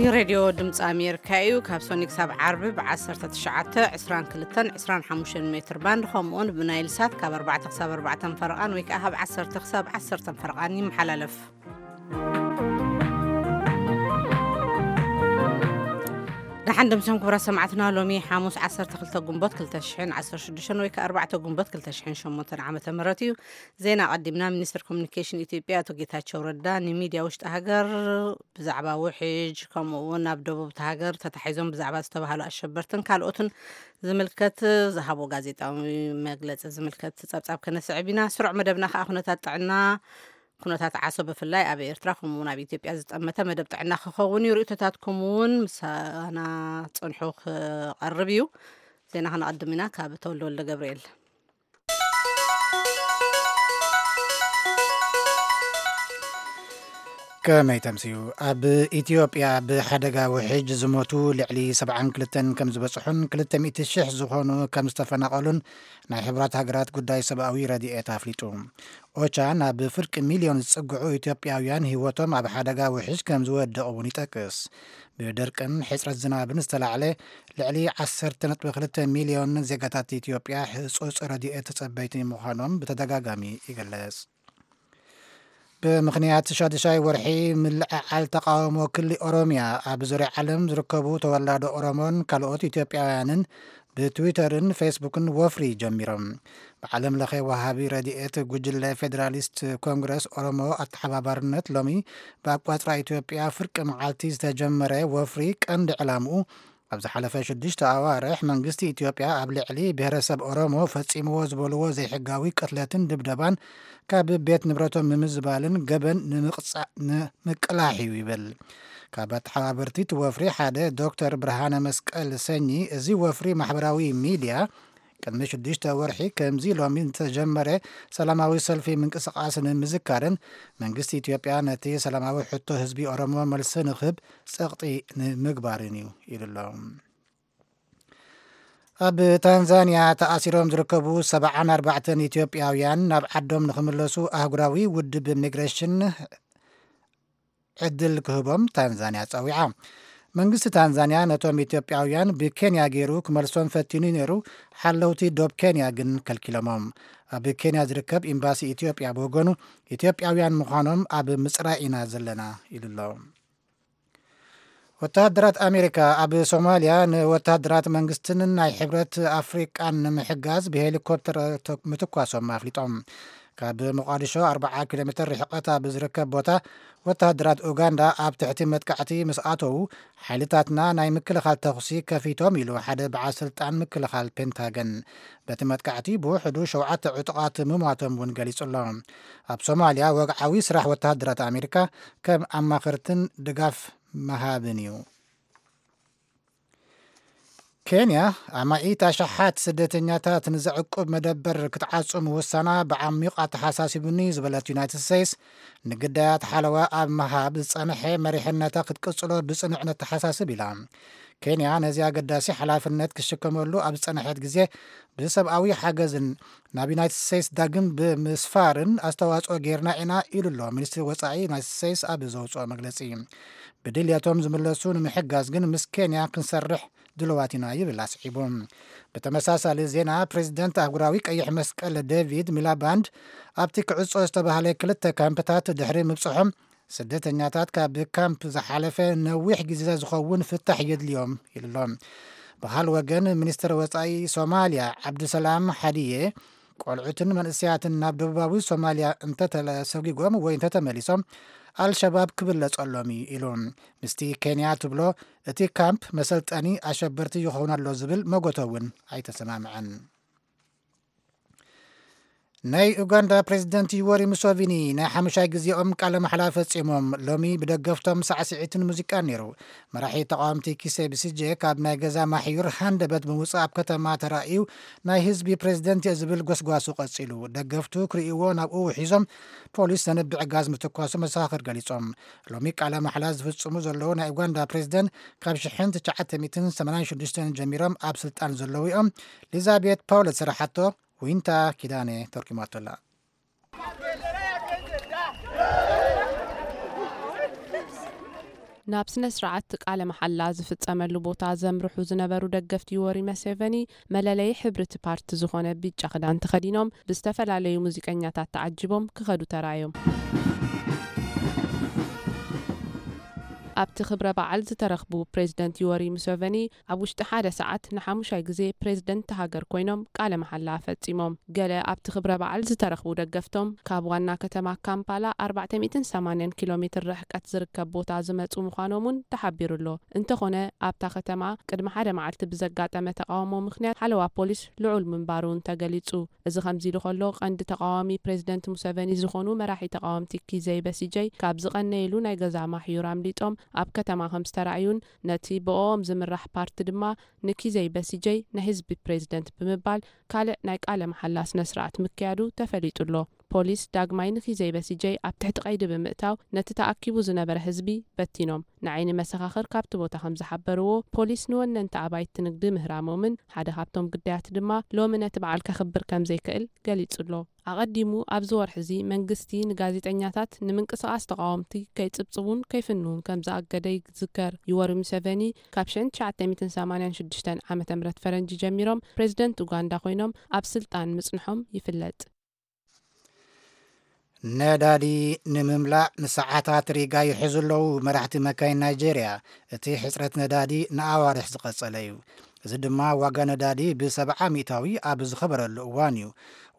ሬድዮ ድምፂ ኣሜሪካ እዩ። ካብ ሶኒ ክሳብ ዓርቢ ብ19፣ 22፣ 25 ሜትር ባንድ፣ ከምኡውን ብናይል ሳት ካብ ኣርባዕተ ክሳብ ኣርባዕተ ፈረቓን ወይ ከዓ ካብ ዓሰርተ ክሳብ ዓሰርተ ፈረቓን ይመሓላለፍ። ደሓን ድምሶም ክቡራት ሰማዕትና፣ ሎሚ ሓሙስ ዓሰርተ ክልተ ግንቦት ክልተ ሽሕን ዓሰርተ ሽዱሽተን ወይ ከዓ ኣርባዕተ ግንቦት ክልተ ሽሕን ሸሞንተን ዓመተ ምህረት እዩ። ዜና ኣቐዲምና። ሚኒስትር ኮሚኒኬሽን ኢትዮጵያ ኣቶ ጌታቸው ረዳ ንሚድያ ውሽጢ ሃገር ብዛዕባ ውሕጅ፣ ከምኡ እውን ኣብ ደቡብ እቲ ሃገር ተታሒዞም ብዛዕባ ዝተባህሉ ኣሸበርትን ካልኦትን ዝምልከት ዝሃቦ ጋዜጣዊ መግለጺ ዝምልከት ጸብጻብ ከነስዕብ ኢና። ስሩዕ መደብና ከዓ ኩነታት ጥዕና፣ ኩነታት ዓሶ ብፍላይ ኣብ ኤርትራ ከምኡ እውን ኣብ ኢትዮጵያ ዝጠመተ መደብ ጥዕና ክኸውን እዩ። ርእይቶታትኩም እውን ምሳና ጽንሑ ክቐርብ እዩ። ዜና ከነቐድም ኢና ካብ ተወልደ ወልደ ገብርኤል። ከመይ ተምስዩ? ኣብ ኢትዮጵያ ብሓደጋ ውሕጅ ዝሞቱ ልዕሊ ሰብዓን ክልተን ከም ዝበጽሑን ክልተ ሚእቲ ሽሕ ዝኾኑ ከም ዝተፈናቐሉን ናይ ሕብራት ሃገራት ጉዳይ ሰብኣዊ ረድኤት ኣፍሊጡ። ኦቻ ናብ ፍርቂ ሚልዮን ዝጽግዑ ኢትዮጵያውያን ህይወቶም ኣብ ሓደጋ ውሕጅ ከም ዝወድቕ እውን ይጠቅስ። ብድርቅን ሕጽረት ዝናብን ዝተላዕለ ልዕሊ ዓሰርተ ነጥቢ ክልተ ሚልዮን ዜጋታት ኢትዮጵያ ህጹጽ ረድኤት ተጸበይቲ ምዃኖም ብተደጋጋሚ ይግለጽ። ብምኽንያት ሻድሻይ ወርሒ ምልዕዓል ተቃውሞ ክሊ ኦሮሚያ፣ ኣብ ዙርያ ዓለም ዝርከቡ ተወላዶ ኦሮሞን ካልኦት ኢትዮጵያውያንን ብትዊተርን ፌስቡክን ወፍሪ ጀሚሮም። ብዓለም ለኸ ወሃቢ ረድኤት ጉጅለ ፌዴራሊስት ኮንግረስ ኦሮሞ ኣተሓባባርነት ሎሚ ብኣቋጽራ ኢትዮጵያ ፍርቂ መዓልቲ ዝተጀመረ ወፍሪ ቀንዲ ዕላምኡ ኣብ ዝሓለፈ ሽዱሽተ ኣዋርሕ መንግስቲ ኢትዮጵያ ኣብ ልዕሊ ብሔረሰብ ኦሮሞ ፈጺምዎ ዝበልዎ ዘይሕጋዊ ቅትለትን ድብደባን ካብ ቤት ንብረቶም ምምዝባልን ገበን ንምቕጻ-፣ ንምቅላሕ እዩ ይብል። ካብ ኣተሓባበርቲ እቲ ወፍሪ ሓደ ዶክተር ብርሃነ መስቀል ሰኚ፣ እዚ ወፍሪ ማሕበራዊ ሚድያ ቅድሚ ሽዱሽተ ወርሒ ከምዚ ሎሚ ዝተጀመረ ሰላማዊ ሰልፊ ምንቅስቃስ ንምዝካርን መንግስቲ ኢትዮጵያ ነቲ ሰላማዊ ሕቶ ህዝቢ ኦሮሞ መልሲ ንክህብ ጸቕጢ ንምግባርን እዩ ኢሉ ኣሎ። ኣብ ታንዛንያ ተኣሲሮም ዝርከቡ ሰብዓን ኣርባዕተን ኢትዮጵያውያን ናብ ዓዶም ንክምለሱ ኣህጉራዊ ውድብ ሚግሬሽን ዕድል ክህቦም ታንዛንያ ጸዊዓ። መንግስቲ ታንዛንያ ነቶም ኢትዮጵያውያን ብኬንያ ገይሩ ክመልሶም ፈቲኑ ነይሩ፣ ሓለውቲ ዶብ ኬንያ ግን ከልኪሎሞም። ኣብ ኬንያ ዝርከብ ኤምባሲ ኢትዮጵያ ብወገኑ፣ ኢትዮጵያውያን ምዃኖም ኣብ ምጽራይ ኢና ዘለና ኢሉ ኣሎ። ወተሃደራት ኣሜሪካ ኣብ ሶማልያ ንወተሃደራት መንግስትን ናይ ሕብረት ኣፍሪቃን ንምሕጋዝ ብሄሊኮፕተር ተ-፣ ምትኳሶም ኣፍሊጦም። ካብ ሞቃዲሾ ኣርብዓ ኪሎ ሜትር ርሕቀት ኣብ ዝርከብ ቦታ ወተሃደራት ኡጋንዳ ኣብ ትሕቲ መጥቃዕቲ ምስ ኣተዉ፣ ሓይልታትና ናይ ምክልኻል ተኹሲ ከፊቶም ኢሉ ሓደ በዓል ስልጣን ምክልኻል ፔንታገን። በቲ መጥቃዕቲ ብውሕዱ ሸውዓተ ዕጡቓት ምሟቶም እውን ገሊጹ ኣሎ። ኣብ ሶማልያ ወግዓዊ ስራሕ ወተሃደራት ኣሜሪካ ከም ኣማኸርትን ድጋፍ ምሃብን እዩ። ኬንያ ኣማኢት ኣሽሓት ስደተኛታት ንዘዕቁብ መደበር ክትዓጹ ምውሳና ብዓሚቕ ኣተሓሳሲቡኒ ዝበለት ዩናይትድ ስቴትስ፣ ንግዳያት ሓለዋ ኣብ ምሃብ ዝጸንሐ መሪሕነታ ክትቅጽሎ ብጽኑዕ ነተሓሳስብ ኢላ። ኬንያ ነዚ ኣገዳሲ ሓላፍነት ክሽከመሉ ኣብ ዝጸንሐት ግዜ፣ ብሰብኣዊ ሓገዝን ናብ ዩናይትድ ስቴትስ ዳግም ብምስፋርን ኣስተዋጽኦ ጌርና ኢና ኢሉ ኣሎ ሚኒስትሪ ወጻኢ ዩናይትድ ስቴትስ ኣብ ዘውጽኦ መግለጺ። ብድልየቶም ዝምለሱ ንምሕጋዝ ግን ምስ ኬንያ ክንሰርሕ ድልዋት ኢና ይብል ኣስዒቡ። ብተመሳሳሊ ዜና፣ ፕሬዚደንት ኣህጉራዊ ቀይሕ መስቀል ዴቪድ ሚላባንድ ኣብቲ ክዕጾ ዝተባህለ ክልተ ካምፕታት ድሕሪ ምብጽሖም፣ ስደተኛታት ካብ ካምፕ ዝሓለፈ ነዊሕ ግዜ ዝኸውን ፍታሕ የድልዮም ኢሉ ኣሎ። ብኻል ወገን፣ ሚኒስትር ወጻኢ ሶማልያ ዓብዱሰላም ሓዲየ፣ ቆልዑትን መንእሰያትን ናብ ደቡባዊ ሶማልያ እንተተሰጒጎም ወይ እንተተመሊሶም፣ ኣልሸባብ ክብለጸሎም እዩ ኢሉ። ምስቲ ኬንያ ትብሎ እቲ ካምፕ መሰልጠኒ ኣሸበርቲ ይኸውን ኣሎ ዝብል መጎተ እውን ኣይተሰማምዐን። ናይ ኡጋንዳ ፕሬዚደንት ዩወሪ ሙሶቪኒ ናይ ሓሙሻይ ግዜኦም ቃለ ማሕላ ፈጺሞም። ሎሚ ብደገፍቶም ሳዕስዒትን ሙዚቃን ነይሩ። መራሒ ተቃወምቲ ኪሴ ብሲጄ ካብ ናይ ገዛ ማሕዩር ሃንደበት ብምውጻእ ኣብ ከተማ ተራእዩ፣ ናይ ህዝቢ ፕሬዚደንት እየ ዝብል ጎስጓሱ ቀጺሉ። ደገፍቱ ክርእይዎ ናብኡ ውሒዞም፣ ፖሊስ ዘንብዕ ጋዝ ምትኳሱ መሰኻኽር ገሊጾም። ሎሚ ቃለ ማሕላ ዝፍጽሙ ዘለዉ ናይ ኡጋንዳ ፕሬዚደንት ካብ ሽሕን ትሽዓተ ሚእትን ሰማንያን ሽዱሽተን ጀሚሮም ኣብ ስልጣን ዘለዉ እዮም። ሊዛቤት ፓውለት ዝሰራሓቶ ዊንታ ኪዳነ ተርጉማቶ ኣላ። ናብ ስነ ስርዓት ቃለ መሓላ ዝፍጸመሉ ቦታ ዘምርሑ ዝነበሩ ደገፍቲ ዮወሪ መሴቨኒ፣ መለለዪ ሕብሪ እቲ ፓርቲ ዝኾነ ቢጫ ክዳን ተኸዲኖም፣ ብዝተፈላለዩ ሙዚቀኛታት ተዓጂቦም ክኸዱ ተራእዮም። ኣብቲ ክብረ በዓል ዝተረኽቡ ፕሬዝደንት ዮወሪ ሙሴቨኒ፣ ኣብ ውሽጢ ሓደ ሰዓት ንሓሙሻይ ግዜ ፕሬዝደንት እታ ሃገር ኮይኖም ቃለ መሓላ ፈጺሞም። ገለ ኣብቲ ክብረ በዓል ዝተረኽቡ ደገፍቶም፣ ካብ ዋና ከተማ ካምፓላ ኣርባዕተ ሚእትን ሰማንያን ኪሎ ሜትር ርሕቀት ዝርከብ ቦታ ዝመጹ ምዃኖም እውን ተሓቢሩ ኣሎ። እንተኾነ፣ ኣብታ ከተማ ቅድሚ ሓደ መዓልቲ ብዘጋጠመ ተቓውሞ ምኽንያት ሓለዋ ፖሊስ ልዑል ምንባሩ እውን ተገሊጹ። እዚ ከምዚ ኢሉ ከሎ፣ ቀንዲ ተቓዋሚ ፕሬዝደንት ሙሰቨኒ ዝኾኑ መራሒ ተቓወምቲ ኪዘይ በሲጀይ፣ ካብ ዝቐነየሉ ናይ ገዛ ማሕዩር ኣምሊጦም ኣብ ከተማ ከም ዝተራእዩን፣ ነቲ ብኦም ዝምራሕ ፓርቲ ድማ ንኪዘይ በሲጀይ ናይ ህዝቢ ፕሬዝደንት ብምባል ካልእ ናይ ቃለ መሓላ ስነ ስርዓት ምክያዱ ተፈሊጡ ኣሎ። ፖሊስ ዳግማይ ንኪዘይ በሲጀይ ኣብ ትሕቲ ቀይዲ ብምእታው፣ ነቲ ተኣኪቡ ዝነበረ ህዝቢ በቲኖም። ንዓይኒ መሰኻኽር ካብቲ ቦታ ከም ዝሓበርዎ፣ ፖሊስ ንወነንቲ ኣባይቲ ንግዲ ምህራሞምን ሓደ ካብቶም ግዳያት ድማ ሎሚ ነቲ በዓል ከኽብር ከም ዘይክእል ገሊጹ ኣሎ። ኣቐዲሙ ኣብዚ ወርሒ እዚ መንግስቲ ንጋዜጠኛታት ንምንቅስቓስ ተቓወምቲ ከይጽብጽቡን ከይፍንዉን ከም ዝኣገደ ይዝከር። ዩወሪ ሙሰቨኒ ካብ ሽሕን ትሽዓተ ሚእትን ሰማንያን ሽዱሽተን ዓመተ ምህረት ፈረንጂ ጀሚሮም ፕሬዝደንት ኡጋንዳ ኮይኖም ኣብ ስልጣን ምጽንሖም ይፍለጥ። ነዳዲ ንምምላእ ንሰዓታት ሪጋ ይሕዙ ኣለዉ መራሕቲ መካይን ናይጄርያ። እቲ ሕጽረት ነዳዲ ንኣዋርሕ ዝቐጸለ እዩ። እዚ ድማ ዋጋ ነዳዲ ብሰብዓ ሚእታዊ ኣብ ዝኸበረሉ እዋን እዩ።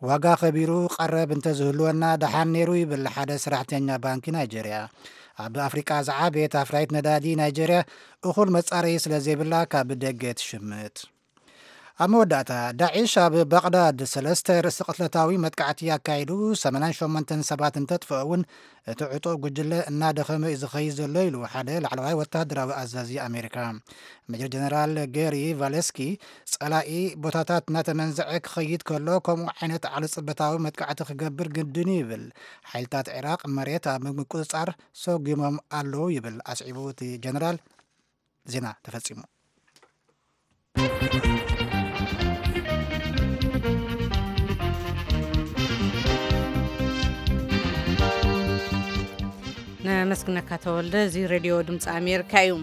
ዋጋ ከቢሩ ቀረብ እንተዝህልወና ደሓን ነይሩ ይብል ሓደ ሰራሕተኛ ባንኪ ናይጄርያ። ኣብ ኣፍሪቃ ዝዓበየት ኣፍራይት ነዳዲ ናይጄርያ እኹል መጻረዪ ስለ ዘይብላ ካብ ደገ ትሽምት። ኣብ መወዳእታ፣ ዳዒሽ ኣብ ባቕዳድ ሰለስተ ርእሰ ቅትለታዊ መጥቃዕቲ ኣካይዱ ሰማንያን ሸሞንተን ሰባት እንተጥፍኦ እውን፣ እቲ ዕጡቕ ጉጅለ እናደኸመ እዩ ዝኸይድ ዘሎ ኢሉ ሓደ ላዕለዋይ ወታደራዊ ኣዛዚ ኣሜሪካ። ሜጀር ጀነራል ጌሪ ቫሌስኪ፣ ጸላኢ ቦታታት እናተመንዘዐ ክኸይድ ከሎ ከምኡ ዓይነት ዓለ ጽበታዊ መጥቃዕቲ ክገብር ግድን እዩ ይብል። ሓይልታት ዒራቕ መሬት ኣብ ምቁጽጻር ሰጒሞም ኣለዉ ይብል ኣስዒቡ እቲ ጀነራል። ዜና ተፈጺሙ። ነመስግነካ ተወልደ። እዚ ሬድዮ ድምፂ ኣሜሪካ እዩ።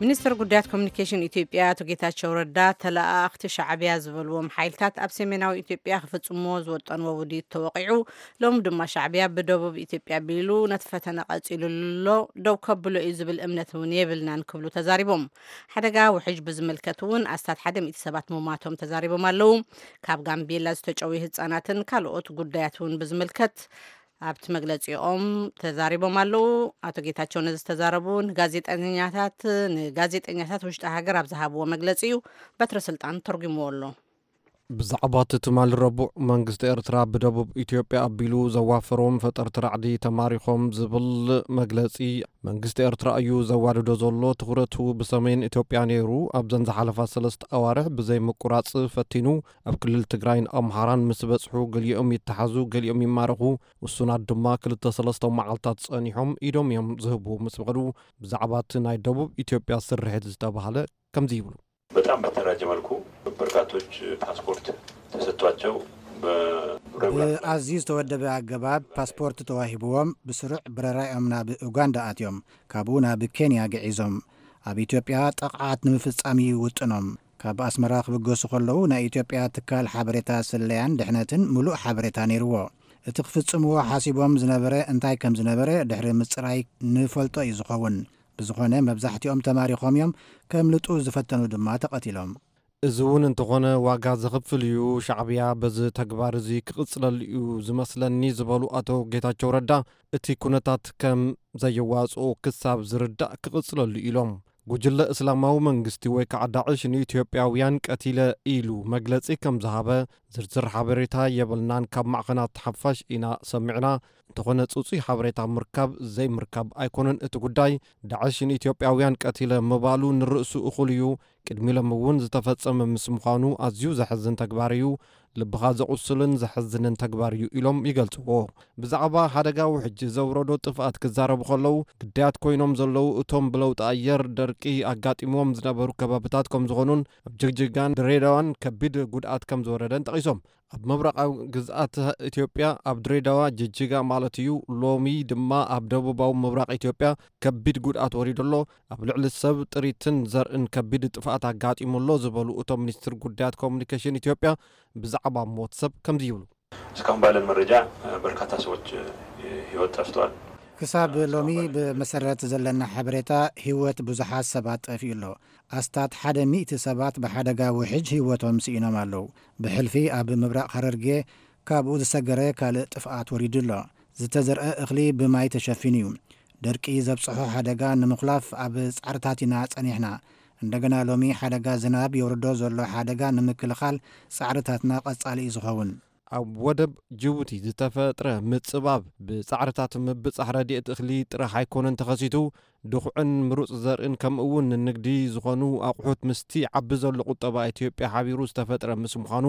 ሚኒስትር ጉዳያት ኮሚኒኬሽን ኢትዮጵያ ኣቶ ጌታቸው ረዳ፣ ተለኣኣኽቲ ሻዕብያ ዝበልዎም ሓይልታት ኣብ ሰሜናዊ ኢትዮጵያ ክፍጽምዎ ዝወጠንዎ ውዲት ተወቒዑ፣ ሎም ድማ ሻዕብያ ብደቡብ ኢትዮጵያ ኣቢሉ ነቲ ፈተነ ቀጺሉሉ ኣሎ፣ ደው ከብሎ እዩ ዝብል እምነት እውን የብልናን ክብሉ ተዛሪቦም። ሓደጋ ውሕጅ ብዝምልከት እውን ኣስታት ሓደ ሚእቲ ሰባት ምሟቶም ተዛሪቦም ኣለዉ። ካብ ጋምቤላ ዝተጨውዩ ህጻናትን ካልኦት ጉዳያት እውን ብዝምልከት ኣብቲ መግለጺኦም ተዛሪቦም ኣለዉ። ኣቶ ጌታቸው ነዚ ዝተዛረቡ ንጋዜጠኛታት፣ ንጋዜጠኛታት ውሽጢ ሃገር ኣብ ዝሃብዎ መግለጺ እዩ። በትረ ስልጣን ተርጉምዎ ኣሎ። ብዛዕባ እቲ ትማሊ ረቡዕ መንግስቲ ኤርትራ ብደቡብ ኢትዮጵያ ኣቢሉ ዘዋፈሮም ፈጠርቲ ራዕዲ ተማሪኾም ዝብል መግለጺ፣ መንግስቲ ኤርትራ እዩ ዘዋድዶ ዘሎ። ትኹረቱ ብሰሜን ኢትዮጵያ ነይሩ። ኣብዘን ዝሓለፋ ሰለስተ ኣዋርሕ ብዘይ ምቁራጽ ፈቲኑ። ኣብ ክልል ትግራይን ኣምሓራን ምስ በጽሑ፣ ገሊኦም ይተሓዙ፣ ገሊኦም ይማረኹ። ውሱናት ድማ ክልተ ሰለስተ መዓልታት ጸኒሖም ኢዶም እዮም ዝህቡ ምስ በሉ፣ ብዛዕባ እቲ ናይ ደቡብ ኢትዮጵያ ስርሒት ዝተባህለ ከምዚ ይብሉ። በጣም በተደራጀ መልኩ በርካቶች ፓስፖርት ተሰጥቷቸው በ- ብኣዝዩ ዝተወደበ ኣገባብ ፓስፖርት ተዋሂብዎም ብስሩዕ በረራኦም ናብ ኡጋንዳ ኣትዮም፣ ካብኡ ናብ ኬንያ ግዒዞም። ኣብ ኢትዮጵያ ጥቕዓት ንምፍጻም እዩ ውጥኖም። ካብ ኣስመራ ክብገሱ ከለዉ ናይ ኢትዮጵያ ትካል ሓበሬታ ስለያን ድሕነትን ምሉእ ሓበሬታ ነይርዎ። እቲ ክፍጽምዎ ሓሲቦም ዝነበረ እንታይ ከም ዝነበረ ድሕሪ ምጽራይ ንፈልጦ እዩ ዝኸውን። ብዝኾነ መብዛሕትኦም ተማሪኾም እዮም፣ ከምልጡ ዝፈተኑ ድማ ተቐቲሎም። እዚ እውን እንተኾነ ዋጋ ዘኽፍል እዩ፣ ሻዕብያ በዚ ተግባር እዚ ክቕጽለሉ እዩ ዝመስለኒ ዝበሉ ኣቶ ጌታቸው ረዳ፣ እቲ ኩነታት ከም ዘየዋጽኦ ክሳብ ዝርዳእ ክቕጽለሉ ኢሎም። ጉጅለ እስላማዊ መንግስቲ ወይ ከዓ ዳዕሽ ንኢትዮጵያውያን ቀቲለ ኢሉ መግለጺ ከም ዝሃበ ዝርዝር ሓበሬታ የብልናን፣ ካብ ማዕኸናት ሓፋሽ ኢና ሰሚዕና። እንተኾነ ጽጹይ ሓበሬታ ምርካብ ዘይምርካብ ኣይኮነን እቲ ጉዳይ። ዳዕሽ ንኢትዮጵያውያን ቀቲለ ምባሉ ንርእሱ እኹል እዩ። ቅድሚ ሎም እውን ዝተፈጸመ ምስ ምዃኑ ኣዝዩ ዘሕዝን ተግባር እዩ። ልብኻ ዘቑስልን ዘሕዝንን ተግባር እዩ ኢሎም ይገልጽዎ። ብዛዕባ ሓደጋ ውሕጅ ዘውረዶ ጥፍኣት ክዛረቡ ከለዉ፣ ግዳያት ኮይኖም ዘለዉ እቶም ብለውጢ ኣየር ደርቂ ኣጋጢምዎም ዝነበሩ ከባብታት ከም ዝኾኑን ኣብ ጅግጅጋን ድሬዳዋን ከቢድ ጉድኣት ከም ዝወረደን ጠቒሶም። ኣብ ምብራቓዊ ግዝኣት ኢትዮጵያ ኣብ ድሬዳዋ፣ ጅጅጋ ማለት እዩ፣ ሎሚ ድማ ኣብ ደቡባዊ ምብራቕ ኢትዮጵያ ከቢድ ጉድኣት ወሪዱ ኣሎ። ኣብ ልዕሊ ሰብ ጥሪትን ዘርእን ከቢድ ጥፍኣት ኣጋጢሙ ኣሎ ዝበሉ እቶም ሚኒስትር ጉዳያት ኮሙኒኬሽን ኢትዮጵያ፣ ብዛዕባ ሞት ሰብ ከምዚ ይብሉ። እስካሁን ባለን መረጃ በርካታ ሰዎች ህይወት ጠፍቷል። ክሳብ ሎሚ ብመሰረት ዘለና ሓበሬታ ህይወት ብዙሓት ሰባት ጠፊኡ ኣሎ። ኣስታት ሓደ ሚእቲ ሰባት ብሓደጋ ውሕጅ ህይወቶም ስኢኖም ኣለዉ። ብሕልፊ ኣብ ምብራቕ ሃረርጌ ካብኡ ዝሰገረ ካልእ ጥፍኣት ወሪዱ ኣሎ። ዝተዘርአ እኽሊ ብማይ ተሸፊኑ እዩ። ደርቂ ዘብጽሖ ሓደጋ ንምኹላፍ ኣብ ጻዕርታት ኢና ጸኒሕና። እንደገና ሎሚ ሓደጋ ዝናብ የውርዶ ዘሎ ሓደጋ ንምክልኻል ጻዕርታትና ቀጻሊ እዩ ዝኸውን። ኣብ ወደብ ጅቡቲ ዝተፈጥረ ምጽባብ ብጻዕርታት ምብጻሕ ረድኤት እኽሊ ጥራሕ ኣይኮነን ተኸሲቱ፣ ድኹዕን ምሩጽ ዘርእን ከምኡ እውን ንንግዲ ዝኾኑ ኣቑሑት ምስቲ ዓቢ ዘሎ ቁጠባ ኢትዮጵያ ሓቢሩ ዝተፈጥረ ምስ ምዃኑ፣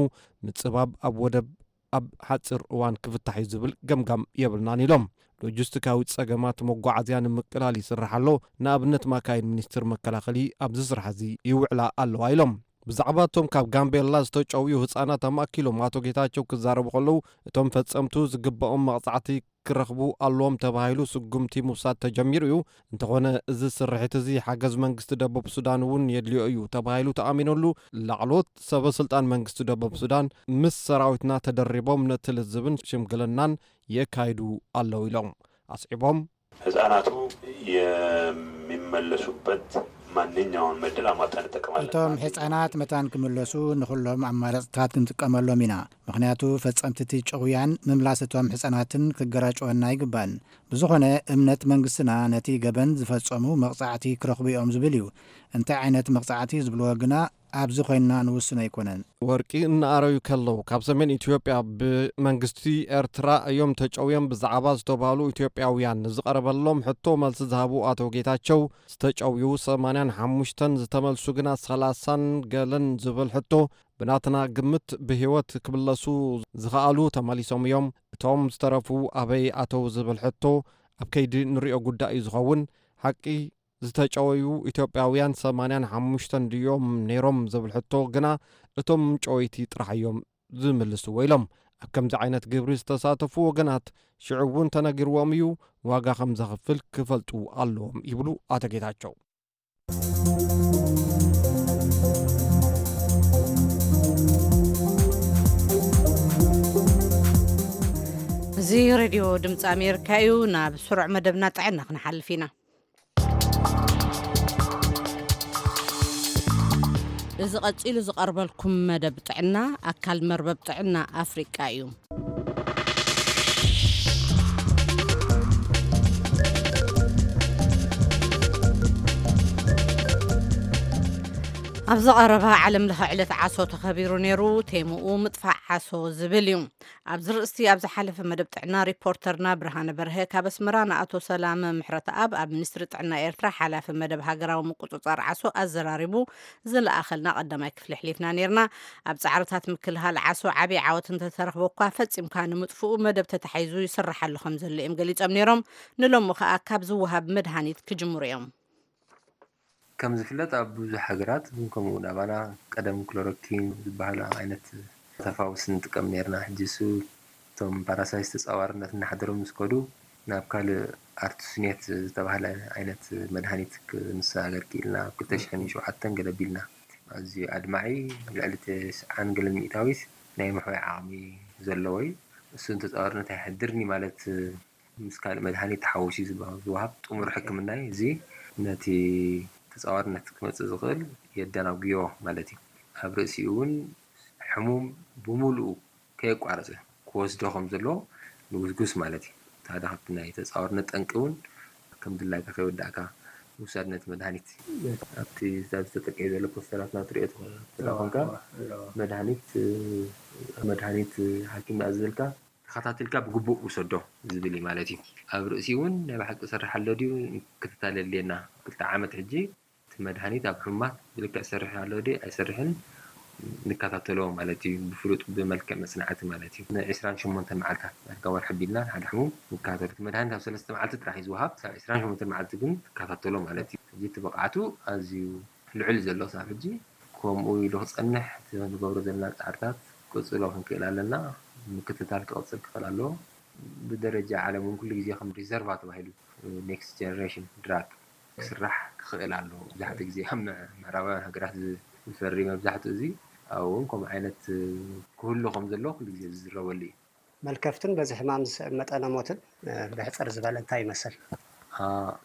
ምጽባብ ኣብ ወደብ ኣብ ሓጺር እዋን ክፍታሕ እዩ ዝብል ገምጋም የብልናን ኢሎም። ሎጂስቲካዊ ጸገማት መጓዓዝያ ንምቅላል ይስራሕ ኣሎ። ንኣብነት ማካይን ሚኒስትር መከላኸሊ ኣብዚ ስራሕ እዚ ይውዕላ ኣለዋ ኢሎም። ብዛዕባ እቶም ካብ ጋምቤላ ዝተጨውዩ ህጻናት ኣማእኪሎም ኣቶ ጌታቸው ክዛረቡ ከለዉ፣ እቶም ፈጸምቱ ዝግባኦም መቕጻዕቲ ክረኽቡ ኣለዎም ተባሂሉ ስጉምቲ ምውሳድ ተጀሚሩ እዩ። እንተኾነ እዚ ስርሒት እዚ ሓገዝ መንግስቲ ደቡብ ሱዳን እውን የድልዮ እዩ ተባሂሉ ተኣሚነሉ። ላዕለዎት ሰበ ስልጣን መንግስቲ ደቡብ ሱዳን ምስ ሰራዊትና ተደሪቦም ነቲ ልዝብን ሽምግልናን የካይዱ ኣለዉ ኢሎም። ኣስዒቦም ህጻናቱ የሚመለሱበት ማንኛውን ዕድል አሟጠን እንጠቀማለን። እቶም ህጻናት መታን ክምለሱ ንኹሎም ኣማራጽታት ክንጥቀመሎም ኢና። ምኽንያቱ ፈጸምቲ እቲ ጭውያን ምምላስ እቶም ህጻናትን ክገራጭወና ኣይግባን። ብዝኾነ እምነት መንግስትና ነቲ ገበን ዝፈጸሙ መቕጻዕቲ ክረኽቡ እዮም ዝብል እዩ። እንታይ ዓይነት መቕጻዕቲ ዝብልዎ ግና ኣብዚ ኮይንና ንውስኖ ኣይኮነን። ወርቂ እናኣረዩ ከለዉ ካብ ሰሜን ኢትዮጵያ ብመንግስቲ ኤርትራ እዮም ተጨውዮም ብዛዕባ ዝተባህሉ ኢትዮጵያውያን ንዝቐረበሎም ሕቶ መልሲ ዝሃቡ ኣቶ ጌታቸው፣ ዝተጨውዩ ሰማንያን ሓሙሽተን ዝተመልሱ ግና ሰላሳን ገለን ዝብል ሕቶ፣ ብናትና ግምት ብህይወት ክምለሱ ዝኸኣሉ ተመሊሶም እዮም። እቶም ዝተረፉ ኣበይ ኣተው ዝብል ሕቶ ኣብ ከይዲ ንሪኦ ጉዳይ እዩ ዝኸውን። ሓቂ ዝተጨወዩ ኢትዮጵያውያን ሰማንያን ሓሙሽተን ድዮም ነይሮም ዝብል ሕቶ ግና እቶም ጨወይቲ ጥራሕ እዮም ዝምልስዎ ኢሎም። ኣብ ከምዚ ዓይነት ግብሪ ዝተሳተፉ ወገናት ሽዑ እውን ተነጊርዎም እዩ፣ ዋጋ ከም ዘኽፍል ክፈልጡ ኣለዎም ይብሉ ኣቶ ጌታቸው። እዚ ሬድዮ ድምፂ ኣሜሪካ እዩ። ናብ ስሩዕ መደብና ጥዕና ክንሓልፍ ኢና። እዚ ቀጺሉ ዝቐርበልኩም መደብ ጥዕና፣ ኣካል መርበብ ጥዕና ኣፍሪቃ እዩ። ኣብዚ ቀረባ ዓለም ለኸ ዕለት ዓሶ ተኸቢሩ ነይሩ። ቴምኡ ምጥፋእ ዓሶ ዝብል እዩ። ኣብዚ ርእስቲ ኣብ ዝሓለፈ መደብ ጥዕና ሪፖርተርና ብርሃነ በርሀ ካብ ኣስመራ ንኣቶ ሰላመ ምሕረተኣብ ኣብ ሚኒስትሪ ጥዕና ኤርትራ ሓላፊ መደብ ሃገራዊ ምቁጽጻር ዓሶ ኣዘራሪቡ ዝለኣኸልና ቀዳማይ ክፍሊ ኣሕሊፍና ነይርና። ኣብ ጻዕርታት ምክልኻል ዓሶ ዓቢ ዓወት እንተተረኽበ እኳ ፈጺምካ ንምጥፍኡ መደብ ተታሒዙ ይስርሓሉ ከም ዘሎ እዮም ገሊጾም ነይሮም። ንሎሚ ከኣ ካብ ዝወሃብ መድሃኒት ክጅምሩ እዮም። ከም ዝፍለጥ ኣብ ብዙሕ ሃገራት እውን ከምኡ እውን ኣባና ቀደም ክሎሮኪን ዝበሃሉ ዓይነት ተፋውስ ንጥቀም ነይርና። ሕጂ እሱ እቶም ፓራሳይት ተጻዋርነት እናሓደሮም ምስ ከዱ ናብ ካልእ ኣርቱስኔት ዝተባህለ ዓይነት መድሃኒት ክንሰጋገር ክኢልና ኣብ ክልተ ሽሕን ሸውዓተን ገለ ኣቢልና። ኣዝዩ ኣድማዒ ልዕሊ ተስዓን ገለን ሚእታዊት ናይ ምሕዋይ ዓቕሚ ዘለዎ እዩ። እሱ ንተጻዋርነት ኣይሕድርን እዩ ማለት ምስ ካልእ መድሃኒት ተሓዊሱ ዝባ-፣ ዝወሃብ ጥሙር ሕክምና እዩ። እዚ ነቲ ተጻዋርነት ክመጽእ ዝኽእል የደናጉዮ ማለት እዩ። ኣብ ርእሲኡ እውን ሕሙም ብምሉኡ ከየቋረጸ ክወስዶ ከም ዘለዎ ንጉስጉስ ማለት እዩ። እቲ ሓደ ካብቲ ናይ ተጻዋርነት ጠንቂ እውን ከም ድላይካ ከይወዳእካ ምውሳድ ነቲ መድሃኒት። ኣብቲ ኣብ ዝተጠቅየ ዘሎ ፖስተራትና ትሪኦ ትኾ-፣ ትኾንካ፣ ኣለዎ፣ ኣለዎ። መድሃኒት፣ መድሃኒት ሓኪም ዝኣዘዘልካ ተኸታቲልካ ብግቡእ ውሰዶ ዝብል እዩ ማለት እዩ። ኣብ ርእሲ እውን ናይ ብሓቂ ይሰርሕ ኣሎ ድዩ ክትታል የድልየና። ክልተ ዓመት ሕጂ እቲ መድሃኒት ኣብ ሕሙማት ብልክዕ ይሰርሕ ኣሎ ድዩ ኣይሰርሕን ንከታተሎ ማለት እዩ። ብፍሉጥ ብመልክዕ መጽናዕቲ ማለት እዩ። ንዕስራን ሸሞንተን መዓልታት ዳርጋ ወርሒ ኣቢልና ሓደ ሕሙም ንከታተሎ። እቲ መድሃኒት ኣብ ሰለስተ መዓልቲ ጥራሕ እዩ ዝወሃብ። ክሳብ ዕስራን ሸሞንተን መዓልቲ ግን ትከታተሎ ማለት እዩ። ሕጂ እቲ ብቕዓቱ ኣዝዩ ልዑል ዘሎ ክሳብ ሕጂ ከምኡ ኢሉ ክጸንሕ እቲ ንገብሮ ዘለና ጻዕርታት ክቕጽሎ ክንክእል ኣለና። ምክትታል ክቕጽል ክኽእል ኣለዎ። ብደረጃ ዓለም እውን ኩሉ ግዜ ከም ሪዘርቫ ተባሂሉ፣ ኔክስት ጀነሬሽን ድራግ ክስራሕ ክኽእል ኣለዎ። መብዛሕትኡ ግዜ ኣብ ምዕ-፣ ምዕራባውያን ሃገራት ዝፈሪ መብዛሕትኡ እዚ ኣብኡ እውን ከምኡ ዓይነት ክህሉ ከም ዘለዎ ኩሉ ግዜ ዝዝረበሉ እዩ። መልከፍትን በዚ ሕማም ዝስዕብ መጠነ ሞትን ብሕፅር ዝበለ እንታይ ይመስል?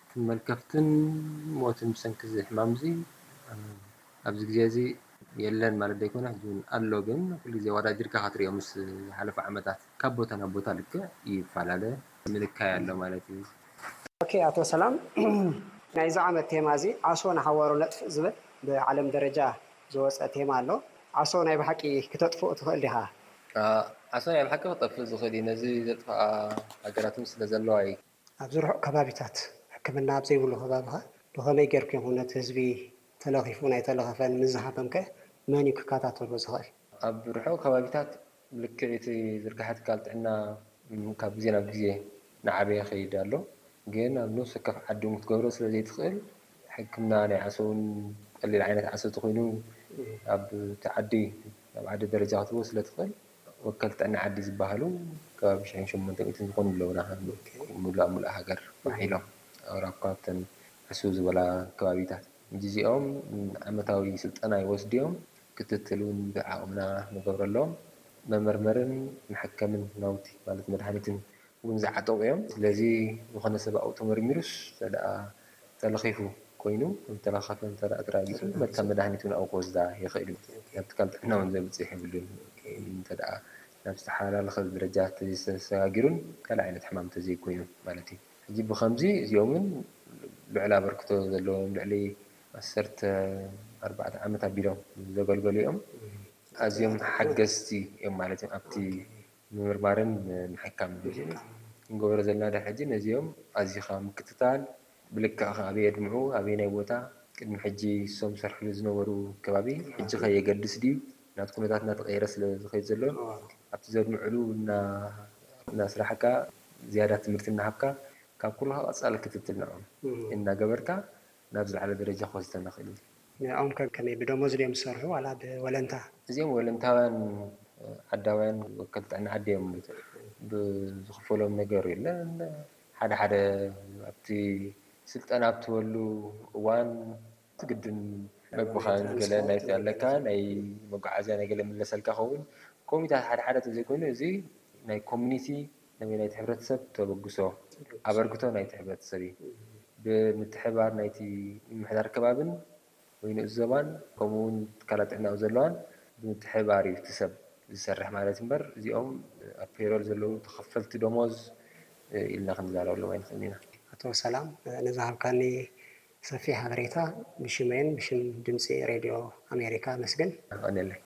እቲ መልከፍትን ሞትን ብሰንኪ እዚ ሕማም እዚ ኣብዚ ግዜ እዚ የለን ማለት ዘይኮነ፣ ሕጂ እውን ኣሎ። ግን ኩሉ ግዜ ኣወዳዲርካ ክትሪኦ ምስ ዝሓለፉ ዓመታት ካብ ቦታ ናብ ቦታ ልክዕ ይፈላለ፣ ምንካይ ኣሎ ማለት እዩ። ኦኬ፣ ኣቶ ሰላም፣ ናይዚ ዓመት ቴማ እዚ ዓሶ ንሓዋሩ ነጥፍእ ዝብል ብዓለም ደረጃ ዝወፀ ቴማ ኣሎ። ዓሶ ናይ ብሓቂ ክተጥፍኡ ትኽእል ዲኻ? ዓሶ ናይ ብሓቂ ክጠፍእ ዝኽእል እዩ። ነዚ ዘጥፍኣ ሃገራት እውን ስለ ዘለዋ እዩ። ኣብዚ ርሑቕ ከባቢታት ሕክምና ኣብ ዘይብሉ ከባቢኻ ብኸመይ ጌርኩም ኢኹም ነቲ ህዝቢ ተለኺፉ ናይ ተለኸፈን ምስ ዝሃመም ከ መን እዩ ክከታተሎ ዝኽእል? ኣብ ርሑቕ ከባቢታት ልክዕ እቲ ዝርግሐ ትካል ጥዕና ካብ ግዜ ናብ ግዜ እናዓበየ ይኸይድ ኣሎ። ግን ኣብ ነፍሲ ወከፍ ዓዲ እውን ክትገብሮ ስለ ዘይትኽእል ሕክምና ናይ ዓሶ እውን ቀሊል ዓይነት ዓሶ ተኾይኑ ኣብ እቲ ዓዲ ኣብ ዓዲ ደረጃ ክትህቦ ስለ ትኽእል ወከልቲ ጥዕና ዓዲ ዝበሃሉ ከባቢ ሽሕን ሸሞንተ ሚእትን ዝኾኑ ኣለውና። ሙሉእ ኣብ ሙሉእ ሃገር ባሕ ኢሎም ኣብ ራኳ ኣብተን ዕስው ዝበላ ከባቢታት እዚኦም ዓመታዊ ስልጠና ይወስዱ እዮም። ክትትል እውን ብዓቕምና ንገብረሎም። መመርመርን መሐከምን ናውቲ ማለት መድሃኒትን እውን ዝዓጠቑ እዮም። ስለዚ ዝኾነ ሰብ ኣብኡ ተመርሚሩስ እንተ ደኣ ተለኺፉ ኮይኑ ተለኻፈ እንተ ደኣ ተራጊጹ መታ መድሃኒት እውን ኣብኡ ክወስዳ ይኽእል እዩ። ናብ ትካል ጥዕና እውን ዘብጽሕ የብሉን። እንተ ደኣ ናብ ዝተሓላለኸ ደረጃ ተዘይተሰጋጊሩን ካልእ ዓይነት ሕማም ተዘይኮይኑ ማለት እዩ። ሕጂ ብኸምዚ እዚኦምን ልዑል ኣበርክቶ ዘለዎም ልዕሊ ዓሰርተ ኣርባዕተ ዓመት ኣቢሎም ዘገልገሉ እዮም። ኣዝዮም ሓገዝቲ እዮም ማለት እዮም ኣብቲ ምምርማርን ምሕካምን። ክንገብሮ ዘለና ድሕሪ ሕጂ ነዚኦም ኣዚኻ ምክትታል፣ ብልክዕ ከ ኣበይ የድምዑ፣ ኣበየናይ ቦታ፣ ቅድሚ ሕጂ እሶም ዝሰርሕሉ ዝነበሩ ከባቢ ሕጂ ከ የገድስ ድዩ? ናብቲ ኩነታት እናተቐየረ ስለ ዝኸይድ ዘሎ ኣብቲ ዘድምዕሉ እናስራሕካ ዝያዳ ትምህርቲ እናሃብካ ካብ ኩሉ ቀጻሊ ክትትል ንዕኦም እናገበርካ ናብ ዝለዓለ ደረጃ ክወስደና ክእል እዩ። ንዕኦም ከ ከመይ ብደሞዝ ድዮም ዝሰርሑ ዋላ ብወለንታ? እዚኦም ወለንታውያን ዓዳውያን ወከልቲ ጥዕና ዓዲ እዮም። ብዝኽፈሎም ነገር የለን። ሓደ ሓደ ኣብቲ ስልጠና ኣብትወሉ እዋን ትግድን መግብኻን ገለ ናይ ኣለካ ናይ መጓዓዝያ ናይ ገለ ምለሰልካ ኸውን ኮሚታት ሓደ ሓደ ተዘይኮይኑ እዚ ናይ ኮሚኒቲ ናይ ናይቲ ሕብረተሰብ ተበግሶ ኣበርክቶ ናይቲ ሕብረተሰብ እዩ። ብምትሕባር ናይቲ ምምሕዳር ከባብን ወይ ንኡስ ዞባን ከምኡ እውን ትካላት ጥዕና ኣብ ዘለዋን ብምትሕብባር እዩ እቲ ሰብ ዝሰርሕ ማለት እምበር እዚኦም ኣብ ፔሮል ዘለዉ ተኸፈልቲ ደሞዝ ኢልና ክንዛረበሎም ኣይንኽእልን ኢና። ኣቶ ሰላም ንዝሃብካኒ ሰፊሕ ሓበሬታ ብሽመይን ብሽም ድምፂ ሬድዮ ኣሜሪካ ኣመስግን። የቐንየለይ።